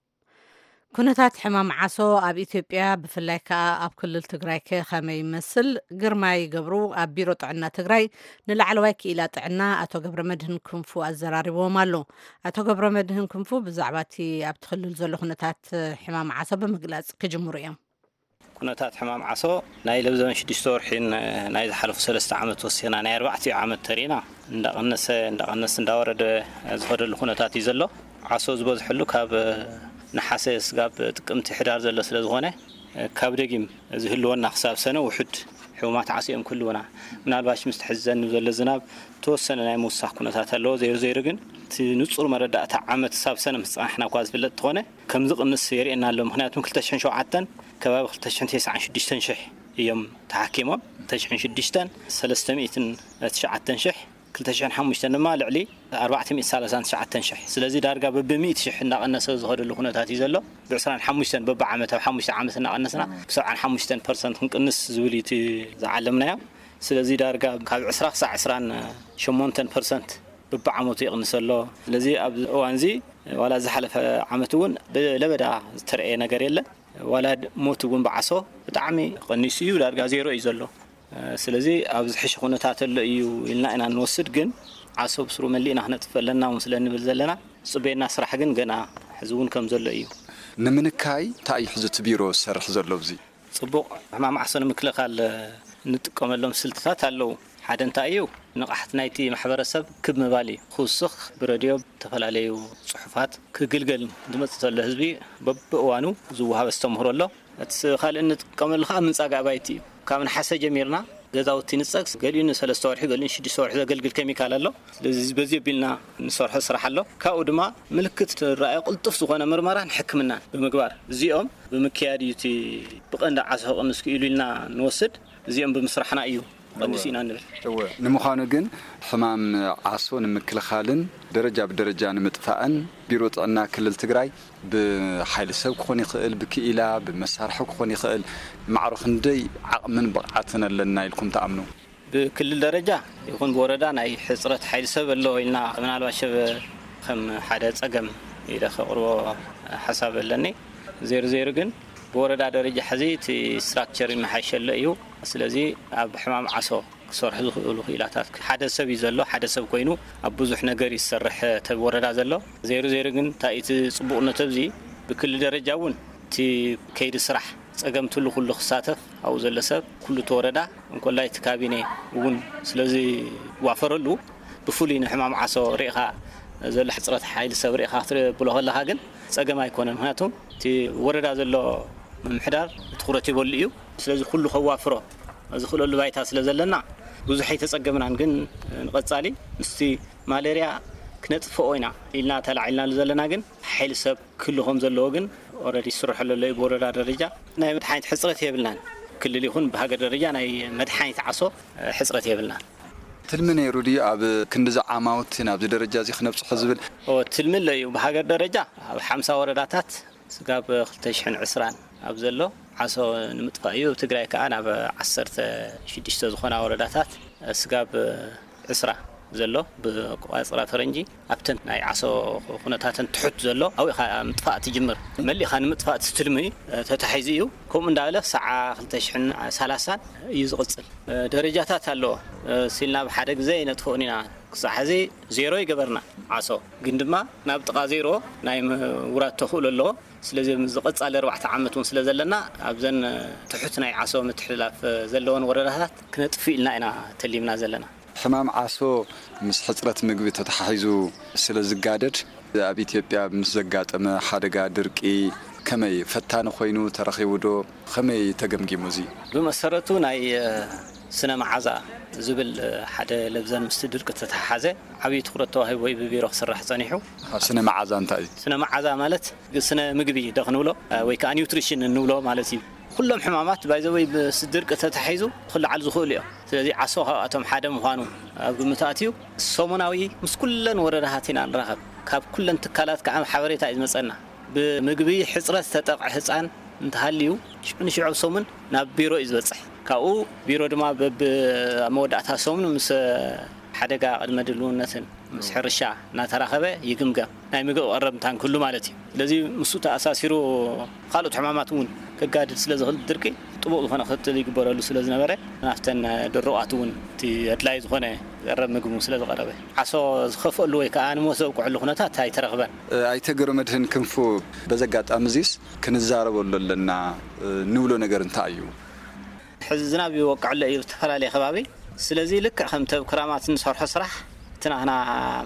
ኩነታት ሕማም ዓሶ ኣብ ኢትዮጵያ ብፍላይ ከኣ ኣብ ክልል ትግራይ ከ ከመይ ይመስል? ግርማይ ገብሩ ኣብ ቢሮ ጥዕና ትግራይ ንላዕለዋይ ክኢላ ጥዕና ኣቶ ገብረመድህን ክንፉ ኣዘራሪብዎም ኣሎ። ኣቶ ገብረመድህን ክንፉ ብዛዕባ እቲ ኣብቲ ክልል ዘሎ ኩነታት ሕማም ዓሶ ብምግላጽ ክጅምሩ እዮም። ኩነታት ሕማም ዓሶ ናይ ለብዘበን ሽዱሽተ ወርሒን ናይ ዝሓለፉ ሰለስተ ዓመት ወሲኽና ናይ ኣርባዕቲኡ ዓመት ተሪእና እንዳቐነሰ እንዳቐነስ እንዳወረደ ዝኸደሉ ኩነታት እዩ ዘሎ። ዓሶ ዝበዝሐሉ ካብ ነሓሰ ስጋብ ጥቅምቲ ሕዳር ዘሎ ስለ ዝኾነ ካብ ደጊም ዝህልወና ክሳብ ሰነ ውሑድ ሕሙማት ዓሶ እዮም ክህልውና። ምናልባሽ ምስቲ ሕዚ ዘንብ ዘሎ ዝናብ ተወሰነ ናይ ምውሳኽ ኩነታት ኣለዎ። ዘይሩ ዘይሩ ግን እቲ ንጹር መረዳእታ ዓመት ክሳብ ሰነ ምስ ጸናሕና እኳ ዝፍለጥ እንተኾነ ከም ዝቕንስ የርእየና ኣሎ። ምኽንያቱም ክልተ ሽሕን ሸውዓተን ከባቢ ክልተ ሽሕን ተስዓን ሽዱሽተን ሽሕ እዮም ተሓኪሞም። ክልተ ሽሕን ሽዱሽተን ሰለስተ ሚእትን ትሽዓተን ሽሕ፣ ክልተ ሽሕን ሓሙሽተን ድማ ልዕሊ ኣርባዕተ ሚእቲ ሰላሳን ትሽዓተን ሽሕ። ስለዚ ዳርጋ በብሚእቲ ሽሕ እናቐነሰ ዝኸደሉ ኩነታት እዩ ዘሎ። ብዕስራን ሓሙሽተን በብዓመት ኣብ ሓሙሽተ ዓመት እናቐነስና ብሰብዓን ሓሙሽተን ፐርሰንት ክንቅንስ ዝብል እዩ እቲ ዝዓለምናዮ። ስለዚ ዳርጋ ካብ ዕስራ ክሳዕ ዕስራን ሸሞንተን ፐርሰንት በብዓመቱ ይቕንስ ኣሎ። ስለዚ ኣብዚ እዋን እዚ ዋላ ዝሓለፈ ዓመት እውን ብለበዳ ዝተረእየ ነገር የለን። ዋላ ሞት እውን ብዓሶ ብጣዕሚ ቀኒሱ እዩ፣ ዳርጋ ዜሮ እዩ ዘሎ። ስለዚ ኣብ ዝሕሸ ኩነታት ኣሎ እዩ ኢልና ኢና እንወስድ፣ ግን ዓሶ ብስሩ መሊእና ክነጥፍእ ኣለና እውን ስለ እንብል ዘለና፣ ዝፅበየና ስራሕ ግን ገና ሕዚ እውን ከም ዘሎ እዩ። ንምንካይ እንታይ እዩ ሕዚ እቲ ቢሮ ዝሰርሕ ዘሎ ኣብዚ? ፅቡቕ፣ ሕማም ዓሶ ንምክልኻል እንጥቀመሎም ስልትታት ኣለዉ። ሓደ እንታይ እዩ፣ ንቕሓት ናይቲ ማሕበረሰብ ክብ ምባል እዩ። ክውስኽ ብረድዮ፣ ብተፈላለዩ ጽሑፋት ክግልገል ዝመጽእ ዘሎ ህዝቢ በብእዋኑ ዝወሃብ ኣስተምህሮ ኣሎ። እቲ ካልእ እንጥቀመሉ ከዓ ምንጻግ ኣባይቲ እዩ። ካብ ነሓሰ ጀሚርና ገዛውቲ ንጸግ፣ ገሊኡ ንሰለስተ ወርሒ፣ ገሊኡ ንሽዱሽተ ወርሒ ዘገልግል ኬሚካል ኣሎ። ስለዚ በዚ ኣቢልና ንሰርሖ ስራሕ ኣሎ። ካብኡ ድማ ምልክት ዝረኣዮ ቅልጡፍ ዝኾነ ምርመራን ሕክምናን ብምግባር፣ እዚኦም ብምክያድ እዩ እቲ ብቐንዲ ዓሶ ክቕንስ ክኢሉ ኢልና ንወስድ። እዚኦም ብምስራሕና እዩ ቀንሱ ኢና ንብል። እወ፣ ንምዃኑ ግን ሕማም ዓሶ ንምክልኻልን ደረጃ ብደረጃ ንምጥፋእን ቢሮ ጥዕና ክልል ትግራይ ብሓይሊ ሰብ ክኾን ይኽእል፣ ብክኢላ፣ ብመሳርሒ ክኾን ይኽእል፣ ማዕሮ ክንደይ ዓቕምን ብቕዓትን ኣለና ኢልኩም ትኣምኑ? ብክልል ደረጃ ይኹን ብወረዳ ናይ ሕፅረት ሓይሊ ሰብ ኣሎ ኢልና ምናልባት ሸበ ከም ሓደ ፀገም ኢለ ከቕርቦ ሓሳብ ኣለኒ። ዜሩ ዜሩ ግን ብወረዳ ደረጃ ሕዚ እቲ ስትራክቸር ይመሓሸሎ እዩ። ስለዚ ኣብ ሕማም ዓሶ ክሰርሑ ዝኽእሉ ክኢላታት ሓደ ሰብ እዩ ዘሎ። ሓደ ሰብ ኮይኑ ኣብ ብዙሕ ነገር ይሰርሕ ተብ ወረዳ ዘሎ። ዜሩ ዜሩ ግን እንታይ እቲ ጽቡቕነት ኣብዚ ብክልል ደረጃ እውን እቲ ከይዲ ስራሕ ጸገም ትሉ ኩሉ ክሳተፍ ኣብኡ ዘሎ ሰብ ኩሉ እቲ ወረዳ እንኮላይ እቲ ካቢኔ እውን ስለዚ ዋፈረሉ ብፍሉይ ንሕማም ዓሶ ርኢኻ ዘሎ ሕፅረት ሓይሊ ሰብ ርኢኻ ክትብሎ ከለኻ ግን ጸገም ኣይኮነን። ምክንያቱም እቲ ወረዳ ዘሎ ምምሕዳር ትኹረት ይበሉ እዩ። ስለዚ ኩሉ ከዋፍሮ ዝኽእለሉ ባይታ ስለ ዘለና ብዙሕ ኣይተጸገምናን። ግን ንቐጻሊ ምስቲ ማሌርያ ክነጥፍኦ ኢና ኢልና ተላዒልናሉ ዘለና ግን ሓይሊ ሰብ ክህሉ ከም ዘለዎ ግን ኦረዲ ይስርሐሉ ኣሎ እዩ ብወረዳ ደረጃ። ናይ መድሓኒት ሕፅረት የብልናን። ክልል ይኹን ብሃገር ደረጃ ናይ መድሓኒት ዓሶ ሕፅረት የብልናን። ትልሚ ነይሩ ድዩ ኣብ ክንዲዚ ዓማውቲ ናብዚ ደረጃ እዚ ክነብፅሖ ዝብል? ኦ፣ ትልሚ ኣሎ እዩ። ብሃገር ደረጃ ኣብ ሓምሳ ወረዳታት ስጋብ ክልተ ሽሕን ዕስራን ኣብ ዘሎ ዓሶ ንምጥፋእ እዩ። ኣብ ትግራይ ከዓ ናብ ዓሰርተ ሽዱሽተ ዝኾና ወረዳታት ስጋብ ዕስራ ዘሎ ብቋፅራ ፈረንጂ ኣብተን ናይ ዓሶ ኩነታተን ትሑት ዘሎ ኣብኡ ኢኻ ምጥፋእ ትጅምር። መሊእኻ ንምጥፋእ እቲ ትልሚ ተታሒዙ እዩ። ከምኡ እንዳበለ ክሳዕ ክልተ ሽሕን ሰላሳን እዩ ዝቕፅል። ደረጃታት ኣለዎ። ሲልና ብሓደ ግዜ ይነጥፍኦን ኢና። ክሳዕ ሕዚ ዜሮ ይገበርና ዓሶ፣ ግን ድማ ናብ ጥቓ ዜሮ ናይ ምውራድ ተኽእሎ ኣለዎ። ስለዚ ኣብዚ ቀጻሊ ኣርባዕተ ዓመት እውን ስለ ዘለና ኣብዘን ትሑት ናይ ዓሶ ምትሕልላፍ ዘለወን ወረዳታት ክነጥፍእ ኢልና ኢና ተሊምና ዘለና። ሕማም ዓሶ ምስ ሕጽረት ምግቢ ተተሓሒዙ ስለ ዝጋደድ ኣብ ኢትዮጵያ ምስ ዘጋጠመ ሓደጋ ድርቂ ከመይ ፈታኒ ኮይኑ ተረኺቡ ዶ? ከመይ ተገምጊሙ እዚ? ብመሰረቱ ናይ ስነ መዓዛ ዝብል ሓደ ለብዘን ምስቲ ድርቂ ዝተተሓሓዘ ዓብዪ ትኹረት ተዋሂቡ ወይ ብቢሮ ክስራሕ ጸኒሑ። ስነ መዓዛ እንታይ እዩ? ስነ መዓዛ ማለት ስነ ምግቢ ዶ ክንብሎ ወይ ከዓ ኒውትሪሽን እንብሎ ማለት እዩ። ኩሎም ሕማማት ባይዘወይ ምስ ድርቂ ተተሓሒዙ ክለዓሉ ዝኽእሉ እዮም። ስለዚ ዓሶ ካብኣቶም ሓደ ምዃኑ ኣብ ግምት ኣትዩ ሰሙናዊ ምስ ኩለን ወረዳታት ኢና ንራኸብ። ካብ ኩለን ትካላት ከዓ ሓበሬታ እዩ ዝመፀና። ብምግቢ ሕፅረት ዝተጠቕዐ ህፃን እንተሃልዩ ሽዑ ንሽዑ ኣብ ሰሙን ናብ ቢሮ እዩ ዝበፅሕ። ካብኡ ቢሮ ድማ በብ ኣብ መወዳእታ ሰሙን ምስ ሓደጋ ቅድመ ድልውነትን ምስ ሕርሻ እናተራኸበ ይግምገም። ናይ ምግቢ ቀረብ እንታን ክህሉ ማለት እዩ። ስለዚ ምስኡ ተኣሳሲሩ ካልኦት ሕማማት እውን ከጋድድ ስለ ዝኽእል ድርቂ ጥቡቕ ዝኾነ ክትትል ይግበረሉ ስለ ዝነበረ ናብተን ድሩቓት እውን እቲ ኣድላይ ዝኾነ ቀረብ ምግቢ ስለ ዝቐረበ ዓሶ ዝኸፍአሉ ወይ ከዓ ንሞት ዘብቅዐሉ ኩነታት ኣይተረኽበን። ኣይተ ገብረመድህን ክንፉ፣ በዚ ኣጋጣሚ እዚስ ክንዛረበሉ ኣለና ንብሎ ነገር እንታይ እዩ? ሕዚ ዝናብ ይወቅዕ ኣሎ እዩ ዝተፈላለየ ከባቢ። ስለዚ ልክዕ ከምቲ ኣብ ክራማት እንሰርሖ ስራሕ እቲ ናህና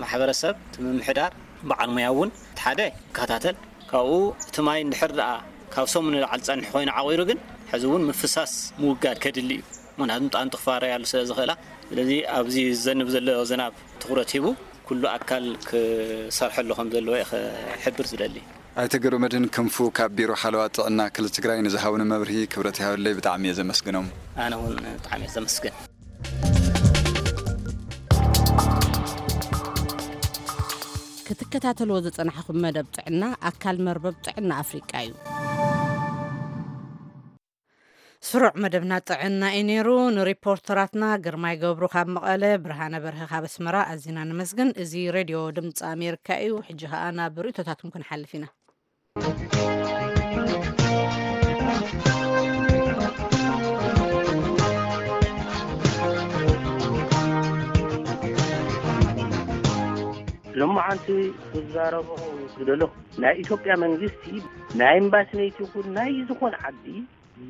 ማሕበረሰብ እቲ ምምሕዳር በዓል ሙያ እውን እቲ ሓደ ይከታተል። ካብኡ እቲ ማይ እንድሕር ደኣ ካብ ሰሙን ንላዕሊ ጸንሑ ኮይኑ ዓቑሩ ግን ሕዚ እውን ምፍሳስ ምውጋድ ከድሊ እዩ። ምኽንያቱ ንጣንጡ ክፋረያሉ ስለ ዝኽእላ። ስለዚ ኣብዚ ዝዘንብ ዘሎ ዝናብ ትኹረት ሂቡ ኩሉ ኣካል ክሰርሐሉ ከም ዘለዎ እየ ክሕብር ዝደሊ። ኣይተ ገብረመድህን ክንፉ ካብ ቢሮ ሓለዋ ጥዕና ክልል ትግራይ ንዝሃቡኒ መብርሂ ክብረት ይሃበለይ፣ ብጣዕሚ እየ ዘመስግኖም። ኣነ እውን ብጣዕሚ እየ ዘመስግን። ክትከታተልዎ ዝጸናሕኹም መደብ ጥዕና ኣካል መርበብ ጥዕና ኣፍሪቃ እዩ። ስሩዕ መደብና ጥዕና እዩ ነይሩ። ንሪፖርተራትና ግርማይ ገብሩ ካብ መቐለ፣ ብርሃነ በርሀ ካብ ኣስመራ ኣዚና ነመስግን። እዚ ሬድዮ ድምፂ ኣሜሪካ እዩ። ሕጂ ኸኣ ናብ ርእይቶታትኩም ክንሓልፍ ኢና። ሎማዓንቲ ክዛረቦ ዝደለኹ፣ ናይ ኢትዮጵያ መንግስቲ ናይ ኤምባሲነት ይኹን ናይ ዝኾነ ዓዲ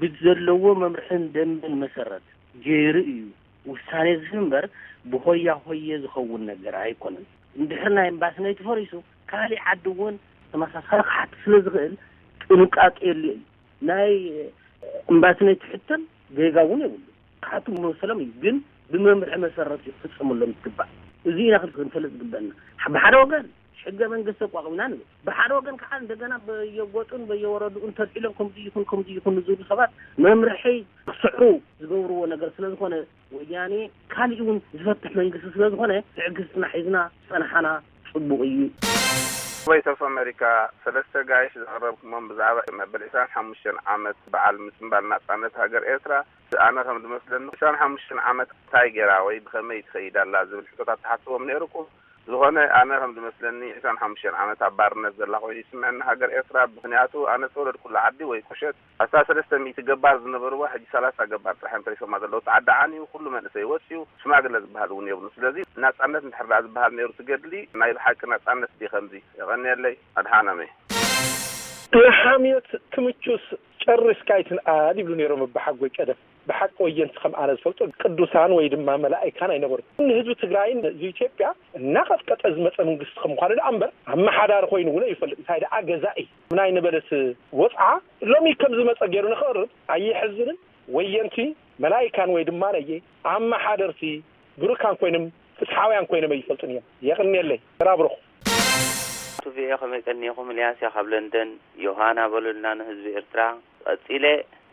ብዘለዎ መምርሕን ደንብን መሰረት ገይሩ እዩ ውሳኔ ዝህብ እምበር ብሆያ ሆየ ዝኸውን ነገር ኣይኮነን። እንድሕር ናይ እምባስነይ ተፈሪሱ ካሊእ ዓዲ እውን ተመሳሳሊ ክሓት ስለ ዝኽእል ጥንቃቄ የድልዮ እዩ። ናይ እምባስነይ ትሕተም ጌጋ እውን የብሉ። ክሓቱ መሰሎም እዩ፣ ግን ብመምርሒ መሰረት እዩ ክፍጸመሎም ዝግባእ። እዚ ኢና ክንፈልጥ ዝግበአና። ብሓደ ወገን ሕገ መንግስቲ ኣቋቒምና ንብል፣ ብሓደ ወገን ከዓ እንደገና በየጎጡን በየወረድኡን ተልዒሎም ከምዚ ይኹን ከምዚ ይኹን ዝብሉ ሰባት መምርሒ ክስዕሩ ዝገብርዎ ነገር ስለ ዝኾነ ወያኔ ካሊእ እውን ዝፈትሕ መንግስቲ ስለ ዝኾነ ትዕግስትና ሒዝና ዝጸንሓና ጽቡቕ እዩ። ቮይስ ኦፍ ኣሜሪካ ሰለስተ ጋይሽ ዘቕረብኩሞም ብዛዕባ መበል ዕስራን ሓሙሽተን ዓመት በዓል ምጽንባል ናጻነት ሃገር ኤርትራ ኣነ ከም ዝመስለኒ ዕስራን ሓሙሽተን ዓመት እንታይ ገይራ ወይ ብኸመይ ትኸይድ ኣላ ዝብል ሕቶታት ተሓስቦም ነይሩኩም። ዝኾነ ኣነ ከም ዝመስለኒ ዕስራን ሓሙሽተን ዓመት ኣብ ባርነት ዘላ ኮይኑ ይስምዐኒ ሃገር ኤርትራ። ምኽንያቱ ኣነ ዝተወለድኩላ ዓዲ ወይ ቁሸት ኣስታት ሰለስተ ሚእቲ ገባር ዝነበርዋ ሕጂ ሰላሳ ገባር ጥራሕ እዮም ተሪፎማ ዘለዉ። እቲ ዓዲ ዓንዩ ኩሉ መንእሰይ ወፅዩ ሽማግለ ዝበሃል እውን የብሉ። ስለዚ ናፃነት እንድሕር ደኣ ዝበሃል ነይሩ ትገድሊ ናይ ብሓቂ ናፃነት ድዩ ከምዚ? የቐንየለይ። ኣድሓኖመይ። ንሓምዮት ትምቹስ ጨሪስካ ኣይትንኣድ ይብሉ ነይሮም ኣባሓጎይ ቀደም። ብሓቂ ወየንቲ ከም ኣነ ዝፈልጦ ቅዱሳን ወይ ድማ መላኢካን ኣይነበሩን። ንህዝቢ ትግራይን ህዝቢ ኢትዮጵያ እናቐጥቀጠ ዝመፀ መንግስቲ ከም ምዃኑ ደኣ እምበር ኣመሓዳሪ ኮይኑ እውን ኣይፈልጥ። እንታይ ደኣ ገዛኢ ናይ ነበለት ወፅዓ ሎሚ ከም ዝመፀ ገይሩ ንክቕርብ ኣየሕዝንን? ወየንቲ መላኢካን ወይ ድማ ነየ ኣመሓደርቲ ብሩካን ኮይኖም ፍትሓውያን ኮይኖም ኣይፈልጡን እዮም። የቕንየለይ። ተራብሩኹ። ቱቪኤ ከመይ ቀኒኹም? ኢልያስ እያ ካብ ለንደን። ዮሃና በሉልና ንህዝቢ ኤርትራ። ቀጺለ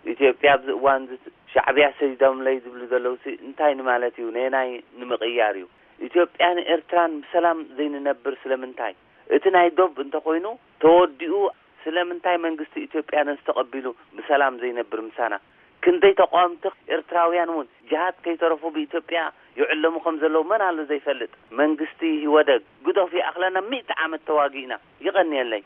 ኢትዮጵያ ኣብዚ እዋን እዚ ሻዕብያ ሰዲዶምለይ ዝብሉ ዘለውሲ እንታይ ንማለት እዩ? ነየናይ ንምቕያር እዩ? ኢትዮጵያን ኤርትራን ብሰላም ዘይንነብር ስለምንታይ? እቲ ናይ ዶብ እንተኾይኑ ተወዲኡ ስለምንታይ መንግስቲ ኢትዮጵያ ነዚ ተቐቢሉ ብሰላም ዘይነብር ምሳና? ክንደይ ተቓወምቲ ኤርትራውያን እውን ጅሃድ ከይተረፉ ብኢትዮጵያ ይዕለሙ ከም ዘለዉ መን ኣሎ ዘይፈልጥ? መንግስቲ ኢህወደግ ግደፉ ይኣኽለና ሚእቲ ዓመት ተዋጊእና። የቐንየለይ።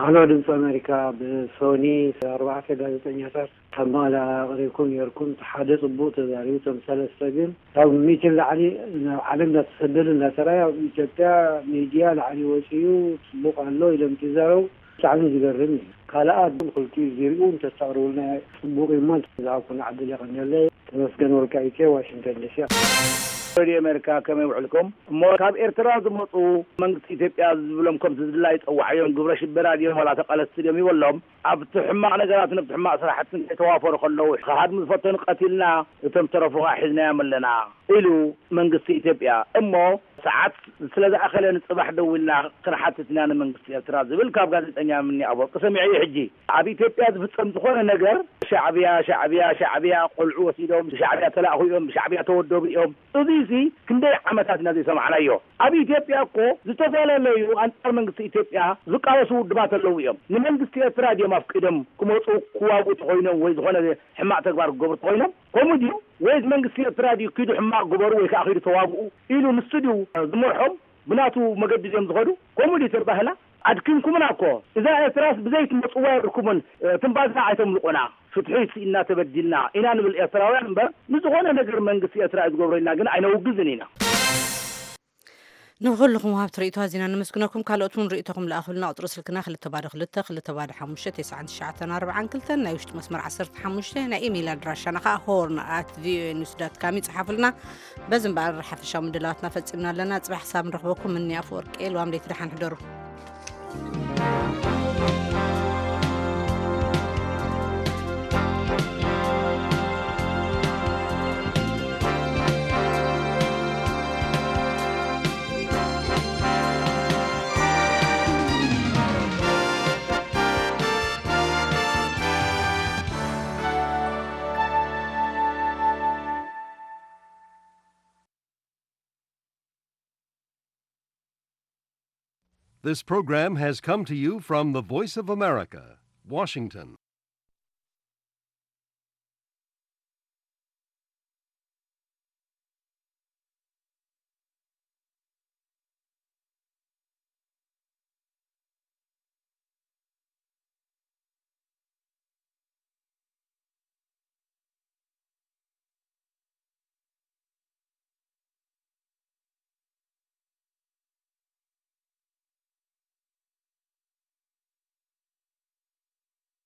ኣሎ ድምፂ ኣሜሪካ ብሶኒ ኣርባዕተ ጋዜጠኛታት ካብ መቐለ ኣቕሪብኩም ነይርኩም። እቲ ሓደ ፅቡቕ ተዛሪቡ፣ እቶም ሰለስተ ግን ካብ ሚእቲ ንላዕሊ ናብ ዓለም እንዳተሰደዱ እንዳተራዩ ኣብ ኢትዮጵያ ሚድያ ላዕሊ ወፂኡ ፅቡቕ ኣሎ ኢሎም ትዛረቡ። ብጣዕሚ ዝገርም እዩ። ካልኣት ክልቲኡ ዚሪኡ እንተተቕርቡልና ፅቡቕ እዩ እሞ ዝሃብኩና ዕድል የቐንየለይ። ተመስገን ወልቃይቴ ዋሽንግተን ዲሲ። ሬድዮ ኣሜሪካ ከመይ ውዕልኩም? እሞ ካብ ኤርትራ ዝመፁ መንግስቲ ኢትዮጵያ ዝብሎም ከምቲ ዝድላይ ይፀዋዓዮም ግብረ ሽበራ ድዮም ዋላ ተቃለስቲ ድዮም ይበሎም። ኣብቲ ሕማቕ ነገራትን ኣብቲ ሕማቕ ስራሕትን ከይተዋፈሩ ከለዉ ክሃድሙ ዝፈተኑ ቀቲልና እቶም ዝተረፉ ከዓ ሒዝናዮም ኣለና ኢሉ መንግስቲ ኢትዮጵያ። እሞ ሰዓት ስለ ዝኣኸለ ንፅባሕ ደው ኢልና ክንሓትት ኢና ንመንግስቲ ኤርትራ ዝብል ካብ ጋዜጠኛ ምኒ ኣፈወርቂ ሰሚዐ እዩ። ሕጂ ኣብ ኢትዮጵያ ዝፍፀም ዝኾነ ነገር ሻዕብያ ሻዕብያ ሻዕብያ ቆልዑ ወሲዶም ብሻዕብያ ተላእኹ እዮም ብሻዕብያ ተወደቡ እዮም። እዙይሲ ክንደይ ዓመታት ኢና ዘይሰማዕናዮ። ኣብ ኢትዮጵያ እኮ ዝተፈላለዩ ኣንፃር መንግስቲ ኢትዮጵያ ዝቃለሱ ውድባት ኣለዉ እዮም። ንመንግስቲ ኤርትራ ድዮም ኣፍቂዶም ክመፁ ክዋግኡ ተኾይኖም ወይ ዝኾነ ሕማቕ ተግባር ክገብሩ ተኾይኖም? ከምኡ ድዩ? ወይስ መንግስቲ ኤርትራ ድዩ ኪዱ ሕማቕ ግበሩ ወይ ከዓ ኪዱ ተዋግኡ ኢሉ ንሱ ድዩ ዝመርሖም? ብናቱ መገዲ ድዮም ዝኸዱ? ከምኡ ድዩ ተባህላ? ኣድኪምኩምና እኮ። እዛ ኤርትራስ ብዘይ ትመጽዋ የብልኩምን። ትንፋስና ኣይተምልቑና። ፍትሒ ስኢንና ተበዲልና ኢና ንብል ኤርትራውያን እምበር ንዝኾነ ነገር መንግስቲ ኤርትራ እዩ ዝገብሮ ኢልና ግን ኣይነውግዝን ኢና። ንኹልኹም ወሃብቲ ርእይቶ ኣዚና ነመስግነኩም። ካልኦት እውን ርእይቶኹም ለኣኹልና። ቁጽሪ ስልክና ክልተ ባዶ ክልተ ክልተ ባዶ ሓሙሽተ ተስዓን ትሽዓተን ኣርባዓን ክልተን፣ ናይ ውሽጢ መስመር ዓሰርተ ሓሙሽተ፣ ናይ ኢሜይል ኣድራሻና ኸኣ ሆርን ኣት ቪኦኤ ኒውስ ዳት ካም ይጽሓፉልና። በዚ እምበኣር ሓፈሻዊ ምድላዋትና ፈጺምና ኣለና። ጽባሕ ክሳብ ንረኽበኩም፣ ምኒ ኣፈወርቂ፣ ልዋም ለይቲ ደሓን ሕደሩ። This program has come to you from the Voice of America, Washington.